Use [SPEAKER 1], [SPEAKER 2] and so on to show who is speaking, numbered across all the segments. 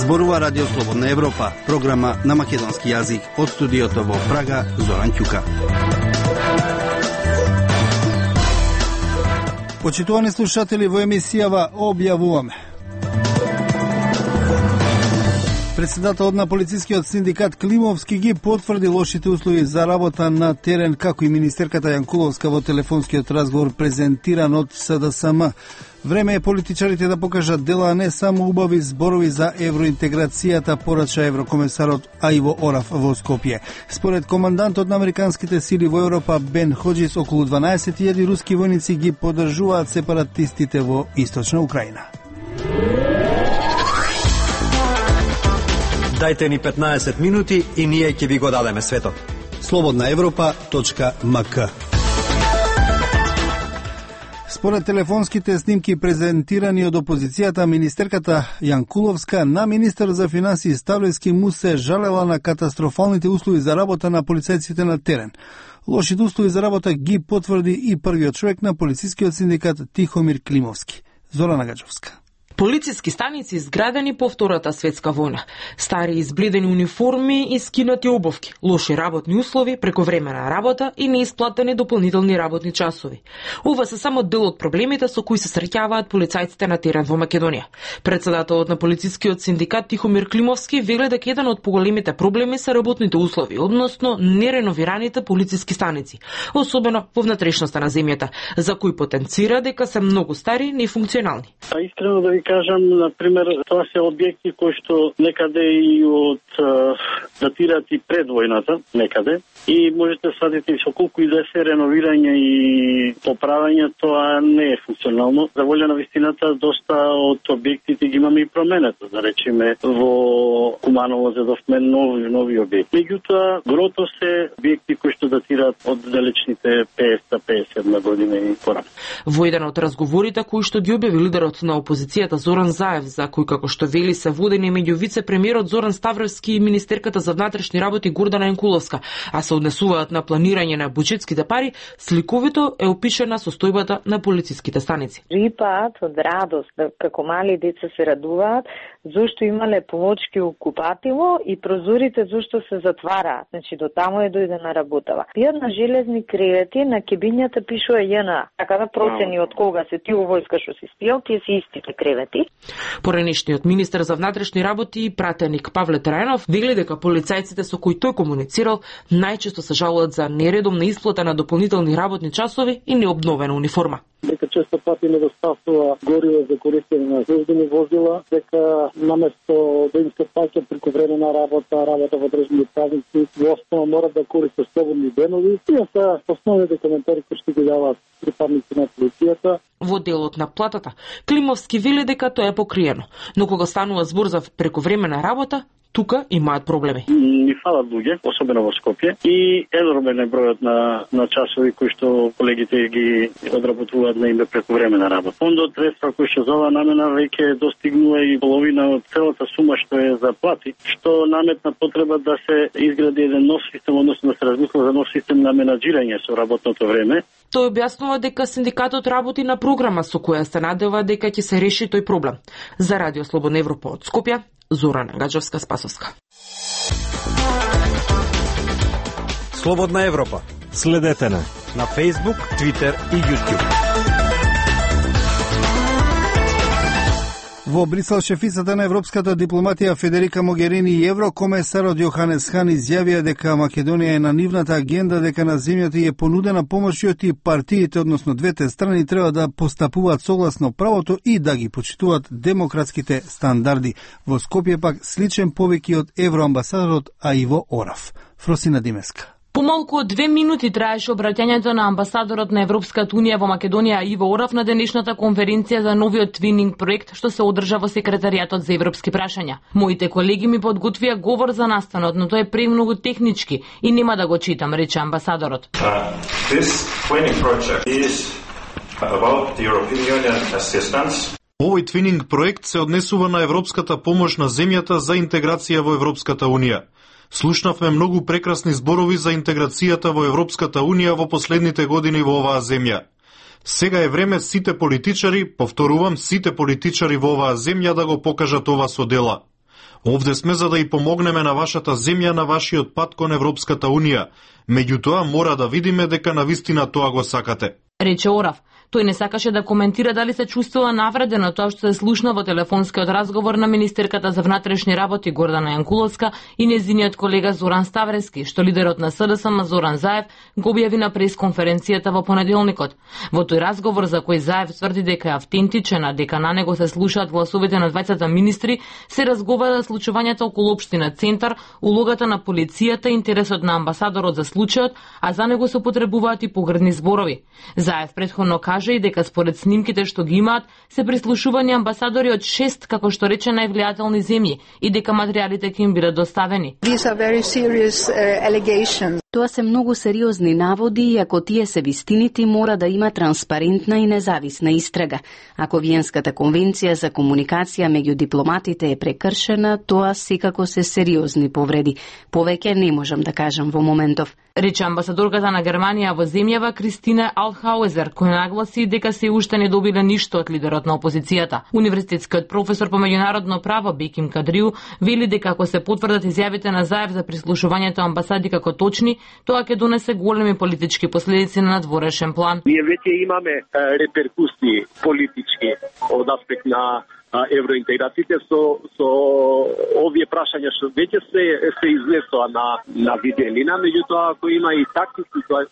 [SPEAKER 1] Зборува Радио Слободна Европа, програма на македонски јазик од студиото во Прага, Зоран Ќука. Почитувани слушатели, во емисијава објавуваме. Председателот на полицискиот синдикат Климовски ги потврди лошите услови за работа на терен, како и министерката Јанкуловска во телефонскиот разговор презентиран од СДСМ. Време е политичарите да покажат дела, а не само убави зборови за евроинтеграцијата, порача еврокомесарот Аиво Орав во Скопје. Според командантот на американските сили во Европа Бен Ходжис, околу 12.000 руски војници ги поддржуваат сепаратистите во Источна Украина.
[SPEAKER 2] Дајте ни 15 минути и ние ќе ви го дадеме светот.
[SPEAKER 1] slobodnaevropa.mk. Според телефонските снимки презентирани од опозицијата, министерката Јанкуловска на министер за финансии Ставлевски му се жалела на катастрофалните услови за работа на полицајците на терен. Лошите услови за работа ги потврди и првиот човек на полицискиот синдикат Тихомир Климовски. Зорана Гаџовска.
[SPEAKER 3] Полициски станици изградени по Втората светска војна, стари избледени униформи и скинати обувки, лоши работни услови, прековремена работа и неисплатени дополнителни работни часови. Ова се само дел од проблемите со кои се среќаваат полицајците на терен во Македонија. Председателот на полицискиот синдикат Тихомир Климовски вели дека еден од поголемите проблеми се работните услови, односно нереновираните полициски станици, особено во внатрешноста на земјата, за кои потенцира дека се многу стари и нефункционални.
[SPEAKER 4] Искрено да ви кажам, например, тоа се објекти кои што некаде и од датираат и пред војната, некаде, и можете да сватите со колку и да се реновирање и поправање, тоа не е функционално. За волја на вистината, доста од објектите ги имаме и променето, да речеме, во Куманово зедовме нови објекти. Меѓутоа, грото се објекти кои што датираат од далечните 50-57 година и порано.
[SPEAKER 3] Во еден од разговорите кои што ги објави лидерот на опозицијата Зоран Заев, за кој како што вели се водени меѓу вице-премиерот Зоран Ставровски и министерката за внатрешни работи Гордана Јанкуловска, а се однесуваат на планирање на буџетските пари, сликовито е опишена состојбата на полициските станици.
[SPEAKER 5] Рипаат од радост, како мали деца се радуваат, зашто имале полочки окупативо и прозорите зашто се затвараат. Значи до таму е дојдена работава. Пијат на железни кревети, на кебињата пишува JNA. Така да процени од кога се тие војска што се спијал, тие се истите кревети.
[SPEAKER 3] Поранешниот министер за внатрешни работи и пратеник Павле Трајанов вели дека полицајците со кои тој комуницирал најчесто се жалат за нередовна исплата на дополнителни работни часови и необновена униформа.
[SPEAKER 4] Дека често пати недостапува гориво за користење на службени возила, дека наместо да им се плаќа прековременна работа во државни празници, во основа морат да користат слободни денови. Тие се основните коментари кои што ги даваат припадници на полицијата.
[SPEAKER 3] Во делот на платата, Климовски вели дека тоа е покриено, но кога станува збор за прековременна работа, тука имаат проблеми.
[SPEAKER 4] Ни фалат луѓе, особено во Скопје, и енормен е бројот на часови кои што колегите ги одработуваат на име прековременна работа. Фондот средства кои што за оваа намена веќе достигнува и половина од целата сума што е за плати, што наметна потреба да се изгради еден нов систем, односно да се размисла за нов систем на менаџирање со работното време.
[SPEAKER 3] Тој објаснува дека синдикатот работи на програма со која се надева дека ќе се реши тој проблем. За Радио Слободна Европа од Скопје, Зорана Гаџовска-Спасовска.
[SPEAKER 2] Слободна Европа.
[SPEAKER 6] Следете на
[SPEAKER 2] Facebook, Twitter и YouTube.
[SPEAKER 1] Во Брисел, шефицата на европската дипломатија Федерика Могерини и еврокомесарот Јоханес Хан изјавија дека Македонија е на нивната агенда, дека на земјата е понудена помош и партиите, односно двете страни, треба да постапуваат согласно правото и да ги почитуваат демократските стандарди. Во Скопје пак сличен повеќе од евроамбасадорот Аиво Орав. Фросина Димеска.
[SPEAKER 7] Помалку од 2 минути траеше обраќањето на амбасадорот на Европската унија во Македонија Иво Орав на денешната конференција за новиот твининг проект што се одржа во секретаријатот за европски прашања. Моите колеги ми подготвија говор за настанот, но тој е премногу технички и нема да го читам, рече амбасадорот.
[SPEAKER 8] This twinning project is about the European Union assistance.
[SPEAKER 9] Овој твининг проект се однесува на европската помош на земјата за интеграција во Европската унија. Слушнавме многу прекрасни зборови за интеграцијата во Европската унија во последните години во оваа земја. Сега е време сите политичари, повторувам, сите политичари во оваа земја да го покажат ова со дела. Овде сме за да и помогнеме на вашата земја на вашиот пат кон Европската Унија. Меѓутоа мора да видиме дека навистина тоа го сакате.
[SPEAKER 7] Рече Орав. Тој не сакаше да коментира дали се чувствува навредено тоа што се слушна во телефонскиот разговор на министерката за внатрешни работи Гордана Јанкуловска и нејзиниот колега Зоран Ставрески, што лидерот на СДСМ Зоран Заев го објави на пресконференцијата во понеделникот. Во тој разговор за кој Заев тврди дека е автентичен, а дека на него се слушаат гласовите на двајцата министри, се разговара за случувањето околу општина Центар, улогата на полицијата, интересот на амбасадорот за случајот, а за него се употребуваат и погрдни зборови. Заев претходно кажа и дека според снимките што ги имаат се прислушувани амбасадори од 6, како што рече, највлијателни земји и дека материјалите ќе им бидат доставени.
[SPEAKER 6] Тоа се многу сериозни наводи и ако тие се вистините, мора да има транспарентна и независна истрага. Ако Виенската конвенција за комуникација меѓу дипломатите е прекршена, тоа секако се сериозни повреди. Повеќе не можам да кажам во моментов.
[SPEAKER 7] Рече амбасадорката на Германија во земјава Кристина Алтхауезер, која нагласи дека се уште не добиле ништо од лидерот на опозицијата. Универзитетскиот професор по меѓународно право Беким Кадриу вели дека ако се потврдат изјавите на Заев за прислушувањето амбасади како точни, тоа ќе донесе големи политички последици на надворешен план.
[SPEAKER 10] Ние веќе имаме реперкусии политички од аспект на евроинтеграциите со овие прашања што веќе се изнесоа на виделина, меѓутоа ако има и такви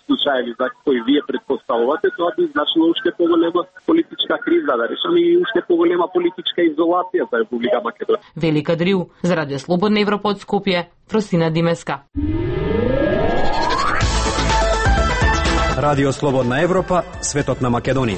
[SPEAKER 10] случаи за кои вие предпоставувате, тоа би значило уште поголема политичка криза, да решаме и уште поголема политичка изолација за Република Македонија.
[SPEAKER 7] Вели Кадриу, за Радио Слободна Европа од Скопје, Просина Димеска.
[SPEAKER 2] Радио Слободна Европа, светот на Македонија.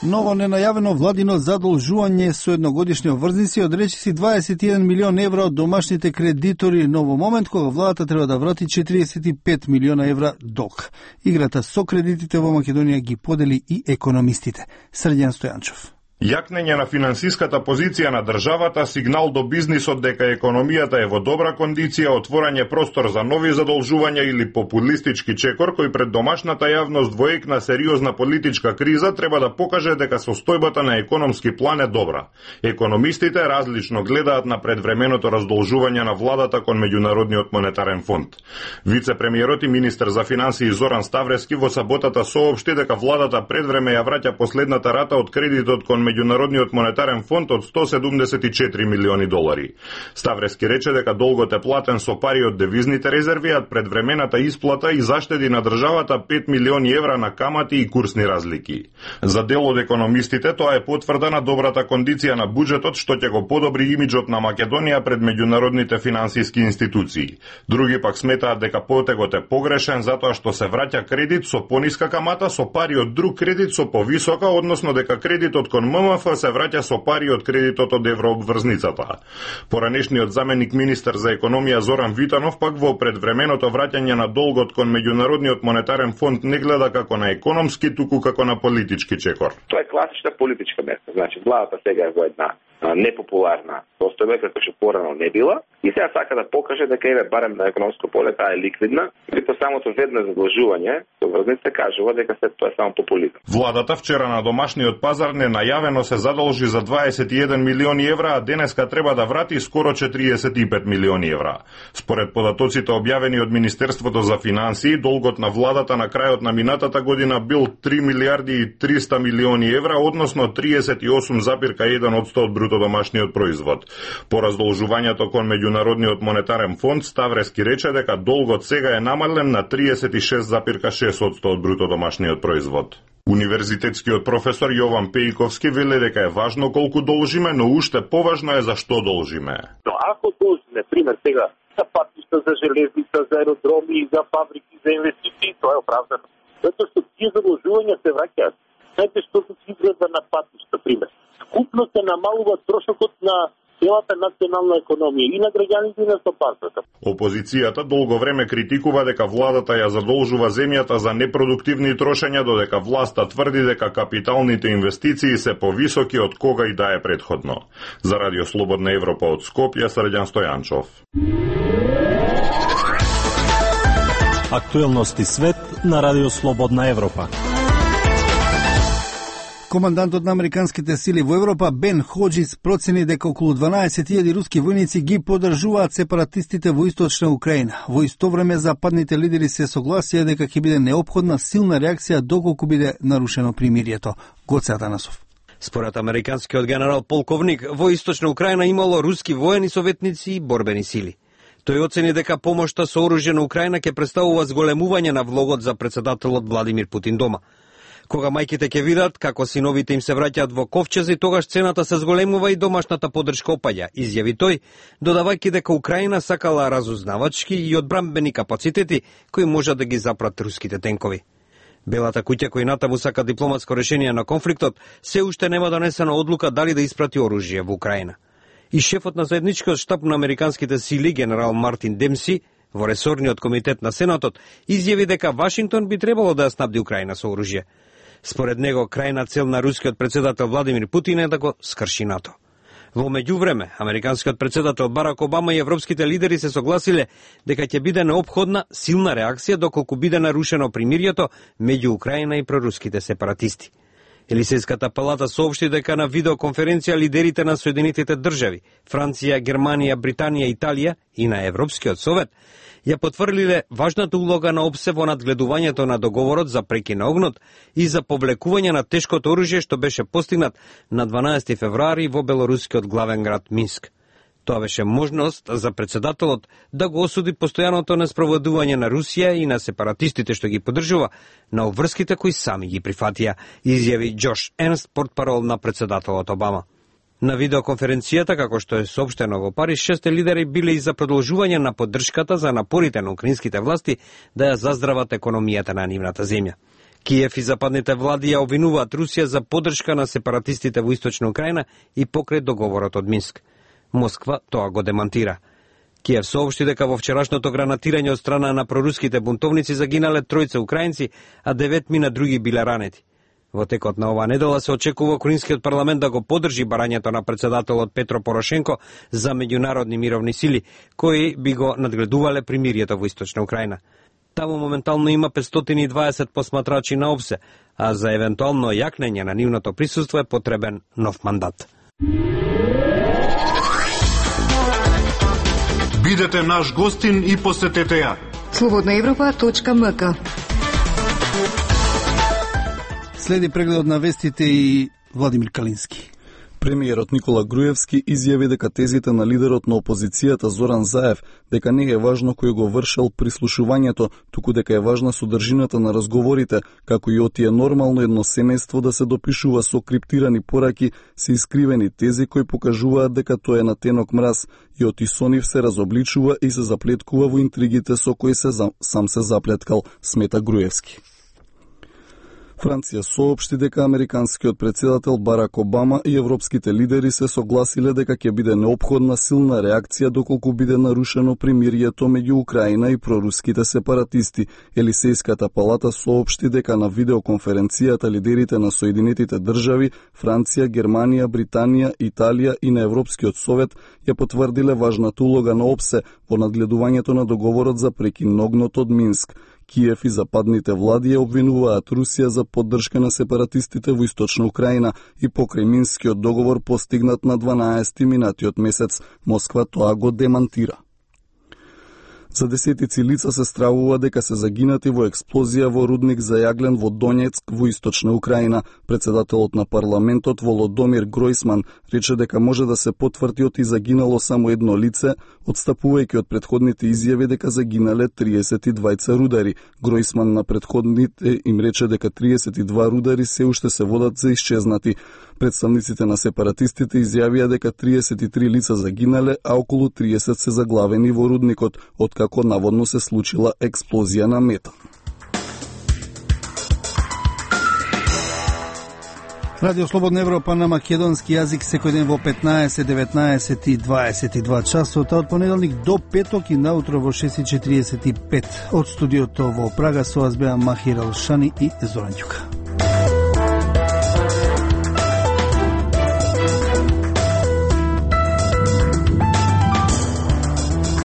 [SPEAKER 1] Ново ненајавено владино задолжување со едногодишни обврзници од речиси 21 милион евра од домашните кредитори на во момент кога владата треба да врати 45 милиона евра долг. Играта со кредитите во Македонија ги подели и економистите. Срđan Стојанчов.
[SPEAKER 11] Јакнење на финансиската позиција на државата, сигнал до бизнисот дека економијата е во добра кондиција, отворање простор за нови задолжувања или популистички чекор кој пред домашната јавност во ек на сериозна политичка криза треба да покаже дека состојбата на економски план е добра. Економистите различно гледаат на предвременото раздолжување на владата кон Меѓународниот монетарен фонд. Вице-премиерот и министер за финансии Зоран Ставрески во саботата соопшти дека владата предвреме ја враќа последната рата од кредитот кон Меѓународниот монетарен фонд од 174 милиони долари. Ставрески рече дека долгот е платен со пари од девизните резерви, а предвремената исплата и заштеди на државата 5 милиони евра на камати и курсни разлики. За дел од економистите тоа е потврда на добрата кондиција на буџетот што ќе го подобри имиџот на Македонија пред меѓународните финансиски институции. Други пак сметаат дека потегот е погрешен затоа што се враќа кредит со пониска камата со пари од друг кредит со повисока, односно дека кредитот кон ММФ се враќа со пари од кредитот од еврообврзницата. Поранешниот заменик министер за економија Зоран Витанов пак во предвременото враќање на долгот кон Меѓународниот монетарен фонд не гледа како на економски, туку како на политички чекор.
[SPEAKER 12] Тоа е класична политичка мерка. Значи, владата сега е во една непопуларна состојба, како што порано не била, и сега сака да покаже дека еве барем на економско поле таа е ликвидна, и по самото ведно задолжување, обврзница кажува дека се тоа е само популизам.
[SPEAKER 11] Владата вчера на домашниот пазар ненајавено се задолжи за 21 милиони евра, а денеска треба да врати скоро 45 милиони евра. Според податоците објавени од Министерството за финансии, долгот на владата на крајот на минатата година бил 3 милиарди и 300 милиони евра, односно 38,1% од бруто домашниот производ. По раздолжувањето кон Меѓународниот монетарен фонд, Ставрески рече дека долгот сега е намален на 36,6% од бруто домашниот производ. Универзитетскиот професор Јован Пејковски вели дека е важно колку должиме, но уште поважно е за што должиме.
[SPEAKER 10] Но ако должиме, пример сега, за патишта, за железница, за аеродроми, за фабрики, за инвестиции, тоа е оправдано. Затоа што тие задолжувања се враќаат. Знаете што се изгледа на патишта, пример. Скупно се намалува трошокот на целата национална економија и на граѓаните и на стопанството.
[SPEAKER 11] Опозицијата долго време критикува дека владата ја задолжува земјата за непродуктивни трошења, додека власта тврди дека капиталните инвестиции се повисоки од кога и да е претходно. За Радио Слободна Европа од Скопје, Срđan Стојанчов.
[SPEAKER 13] Актуелности свет на Радио Слободна Европа.
[SPEAKER 1] Командантот на американските сили во Европа Бен Ходжис процени дека околу 12.000 руски војници ги поддржуваат сепаратистите во источна Украина. Во исто време западните лидери се согласија дека ќе биде неопходна силна реакција доколку биде нарушено примирието. Гоце Атанасов.
[SPEAKER 2] Според американскиот генерал полковник, во источна Украина имало руски воени советници и борбени сили. Тој оцени дека помошта со оружје на Украина ќе представува зголемување на влогот за председателот Владимир Путин дома. Кога мајките ќе видат како синовите им се враќаат во ковчези, тогаш цената се зголемува и домашната поддршка опаѓа, изјави тој, додавајќи дека Украина сакала разузнавачки и одбранбени капацитети кои можат да ги запрат руските тенкови. Белата куќа, кој натаму сака дипломатско решение на конфликтот, се уште нема донесена одлука дали да испрати оружје во Украина. И шефот на заедничкиот штаб на американските сили, генерал Мартин Демси, во ресорниот комитет на Сенатот, изјави дека Вашингтон би требало да ја снабди Украина со оружје. Според него, крајна цел на рускиот председател Владимир Путин е да го скрши НАТО. Во меѓувреме, американскиот председател Барак Обама и европските лидери се согласиле дека ќе биде неопходна силна реакција доколку биде нарушено примирието меѓу Украина и проруските сепаратисти. Елисејската палата соопшти дека на видеоконференција лидерите на Соединетите држави, Франција, Германија, Британија, Италија и на Европскиот совет ја потврдиле важната улога на ОПСЕ во надгледувањето на договорот за прекин на огнот и за повлекување на тешкото оружје што беше постигнат на 12 февруари во белорускиот главен град Минск. Тоа беше можност за председателот да го осуди постојаното неспроведување на Русија и на сепаратистите што ги поддржува на обврските кои сами ги прифатија, изјави Џош Ернст, портпарол на председателот Обама. На видеоконференцијата, како што е соопштено во Париж, 6 лидери биле и за продолжување на поддршката за напорите на украинските власти да ја заздрават економијата на нивната земја. Киев и западните влади ја обвинуваат Русија за поддршка на сепаратистите во источна Украина и покрај договорот од Минск. Москва тоа го демантира. Киев соопшти дека во вчерашното гранатирање од страна на проруските бунтовници загинале 3 украинци, а 9 други биле ранети. Во текот на оваа недела се очекува украинскиот парламент да го поддржи барањето на председателот Петро Порошенко за меѓународни мировни сили, кои би го надгледувале примирието во источна Украина. Таму моментално има 520 посматрачи на ОПСЕ, а за евентуално јакнење на нивното присуство е потребен нов мандат.
[SPEAKER 9] Бидете наш гостин и посетете ја.
[SPEAKER 14] slobodnaevropa.mk.
[SPEAKER 1] Следи прегледот на вестите и Владимир Калински.
[SPEAKER 15] Премиерот Никола Груевски изјави дека тезите на лидерот на опозицијата Зоран Заев дека не е важно кој го вршел прислушувањето, туку дека е важна содржината на разговорите, како и отие нормално едно семејство да се допишува со криптирани пораки, се искривени тези кои покажуваат дека тоа е на тенок мраз и оти со нив се разобличува и се заплеткува во интригите со кои сам се заплеткал, смета Груевски. Франција соопшти дека американскиот председател Барак Обама и европските лидери се согласиле дека ќе биде неопходна силна реакција доколку биде нарушено примирието меѓу Украина и проруските сепаратисти. Елисејската палата соопшти дека на видеоконференцијата лидерите на Соединетите држави, Франција, Германија, Британија, Италија и на Европскиот совет ја потврдиле важната улога на ОПСЕ во надгледувањето на договорот за прекин на огнот од Минск. Киев и западните влади ја обвинуваат Русија за поддршка на сепаратистите во источна Украина и покрај Минскиот договор постигнат на 12 минатиот месец. Москва тоа го демантира. За десетици лица се стравува дека се загинати во експлозија во рудник за јаглен во Донецк во источна Украина. Председателот на парламентот Володомир Гројсман рече дека може да се потврди оти загинало само едно лице, одстапувајќи од претходните изјави дека загинале 32 рудари. Гројсман на претходните им рече дека 32 рудари се уште се водат за исчезнати. Представниците на сепаратистите изјавија дека 33 лица загинале, а околу 30 се заглавени во рудникот, откако наводно се случила експлозија на метан.
[SPEAKER 1] Радио Слободна Европа на македонски јазик секој ден во 15, 19 и 22 часот, од понеделник до петок и наутро во 6:45. Од студиото во Прага со вас беа Махир Алшани и Зоран Ѓука.